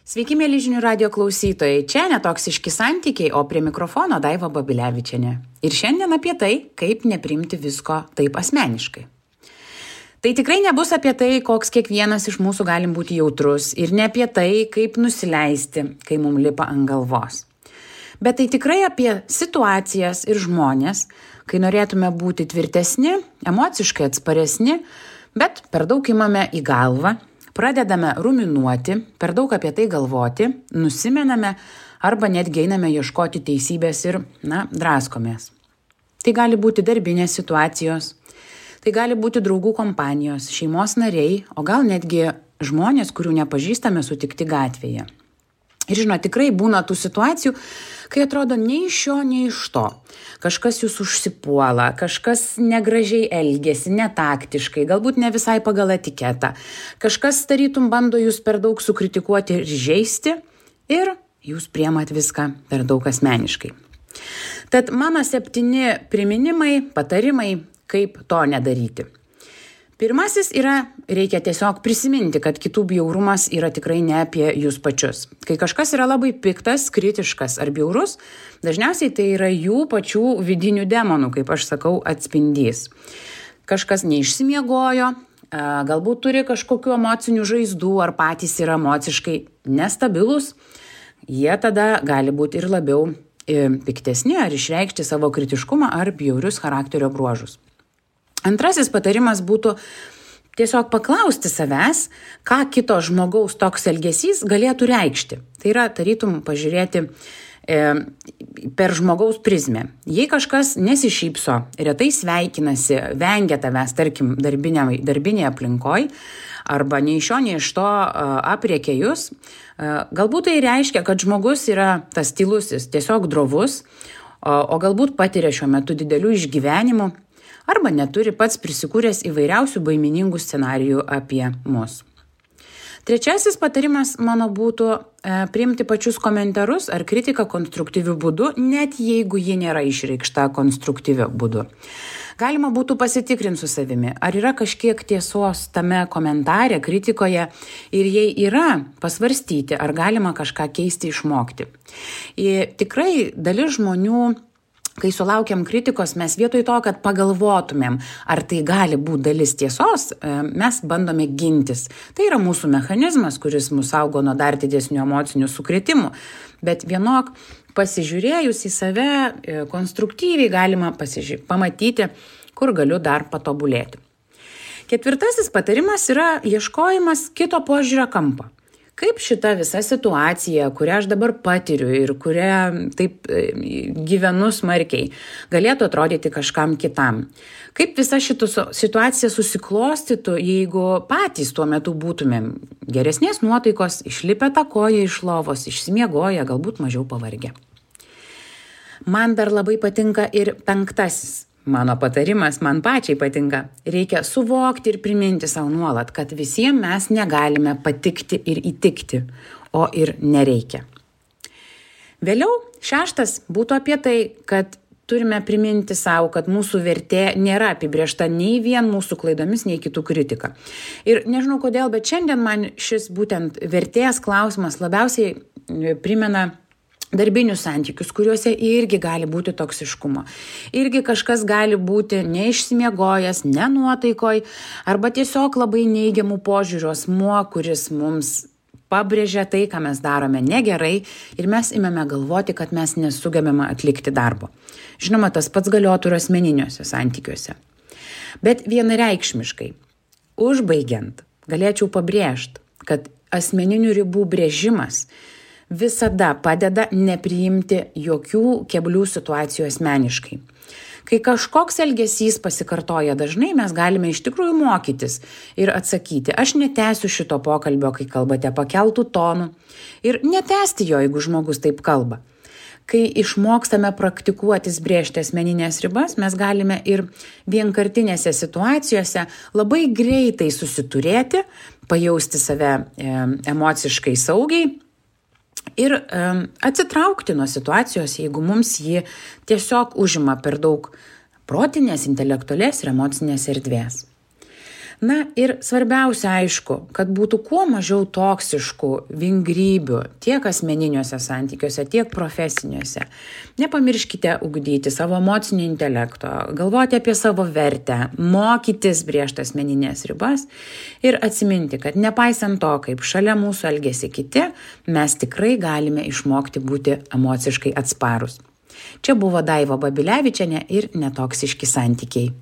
Sveiki, mėly žinių radio klausytojai. Čia netoksiški santykiai, o prie mikrofono Daiva Babilevičienė. Ir šiandien apie tai, kaip neprimti visko taip asmeniškai. Tai tikrai nebus apie tai, koks kiekvienas iš mūsų galim būti jautrus ir ne apie tai, kaip nusileisti, kai mums lipa ant galvos. Bet tai tikrai apie situacijas ir žmonės, kai norėtume būti tvirtesni, emociškai atsparesni, bet per daug imame į galvą, pradedame ruminuoti, per daug apie tai galvoti, nusimename arba netgi einame ieškoti teisybės ir, draskomės. Tai gali būti darbinės situacijos, tai gali būti draugų kompanijos, šeimos nariai, o gal netgi žmonės, kurių nepažįstame sutikti gatvėje. Ir tikrai būna tų situacijų, kai atrodo nei iš šio, nei iš to. Kažkas jūs užsipuola, kažkas negražiai elgiasi, netaktiškai, galbūt ne visai pagal etiketą. Kažkas tarytum bando jūs per daug sukritikuoti ir žeisti ir jūs priemat viską per daug asmeniškai. Tad mano 7 priminimai, patarimai, kaip to nedaryti. Pirmasis yra, reikia tiesiog prisiminti, kad kitų bjaurumas yra tikrai ne apie jūs pačius. Kai kažkas yra labai piktas, kritiškas ar bjaurus, dažniausiai tai yra jų pačių vidinių demonų, kaip aš sakau, atspindys. Kažkas neišsimiegojo, galbūt turi kažkokių emocinių žaizdų ar patys yra emociškai nestabilus, jie tada gali būti ir labiau piktesni ar išreikšti savo kritiškumą ar bjaurius charakterio bruožus. Antrasis patarimas būtų tiesiog paklausti savęs, ką kito žmogaus toks elgesys galėtų reikšti. Tai yra, tarytum, pažiūrėti per žmogaus prizmę. Jei kažkas nesišypso, retai sveikinasi, vengia tavęs, tarkim, darbinėje aplinkoje, arba nei iš šio, nei iš to apriekia jūs, galbūt tai reiškia, kad žmogus yra tas tylusis, tiesiog drovus, o galbūt patiria šiuo metu didelių išgyvenimų, arba neturi pats prisikūręs įvairiausių baiminingų scenarijų apie mus. Trečiasis patarimas mano būtų priimti pačius komentarus ar kritiką konstruktyviu būdu, net jeigu ji nėra išreikšta konstruktyviu būdu. Galima būtų pasitikrinti su savimi, ar yra kažkiek tiesos tame komentare, kritikoje ir jei yra, pasvarstyti, ar galima kažką keisti, išmokti. Ir tikrai dalis žmonių, kai sulaukiam kritikos, mes vietoj to, kad pagalvotumėm, ar tai gali būti dalis tiesos, mes bandome gintis. Tai yra mūsų mechanizmas, kuris mus saugo nuo dar didesnių emocinių sukrėtimų. Bet vienok pasižiūrėjus į save, konstruktyviai galima pamatyti, kur galiu dar patobulėti. Ketvirtasis patarimas yra ieškojimas kito požiūrio kampo. Kaip šita visa situacija, kurią aš dabar patiriu ir kurią taip gyvenu smarkiai, galėtų atrodyti kažkam kitam? Kaip visa šita situacija susiklostytų, jeigu patys tuo metu būtumėm geresnės nuotaikos, išlipę tą koją iš lovos, išsimiegoję, galbūt mažiau pavargę? Man dar labai patinka ir 5. Mano patarimas, man pačiai patinka. Reikia suvokti ir priminti savo nuolat, kad visiems mes negalime patikti ir įtikti, o ir nereikia. Vėliau 6 būtų apie tai, kad turime priminti savo, kad mūsų vertė nėra apibrėžta nei vien mūsų klaidomis, nei kitų kritika. Ir nežinau kodėl, bet šiandien man šis būtent vertės klausimas labiausiai primena darbinius santykius, kuriuose irgi gali būti toksiškumo. Irgi kažkas gali būti neišsimiegojęs, nenuotaikoj, arba tiesiog labai neigiamų požiūrių asmuo, kuris mums pabrėžia tai, ką mes darome negerai ir mes imame galvoti, kad mes nesugebame atlikti darbo. Žinoma, tas pats galiotų ir asmeniniuose santykiuose. Bet vienareikšmiškai, užbaigiant, galėčiau pabrėžti, kad asmeninių ribų brėžimas visada padeda nepriimti jokių keblių situacijų asmeniškai. Kai kažkoks elgesys pasikartoja dažnai, mes galime iš tikrųjų mokytis ir atsakyti, aš netęsiu šito pokalbio, kai kalbate pakeltų tonų, ir netęsti jo, jeigu žmogus taip kalba. Kai išmokstame praktikuotis brėžti asmeninės ribas, mes galime ir vienkartinėse situacijose labai greitai susiturėti, pajausti save emociškai saugiai, ir atsitraukti nuo situacijos, jeigu mums ji tiesiog užima per daug protinės, intelektualės ir emocinės erdvės. Na ir svarbiausia, aišku, kad būtų kuo mažiau toksiškų vingrybių tiek asmeniniuose santykiuose, tiek profesiniuose. Nepamirškite ugdyti savo emocinio intelekto, galvoti apie savo vertę, mokytis brėžti asmeninės ribas ir atsiminti, kad nepaisant to, kaip šalia mūsų elgiasi kiti, mes tikrai galime išmokti būti emociškai atsparūs. Čia buvo Daiva Babilevičienė ir Netoksiški santykiai.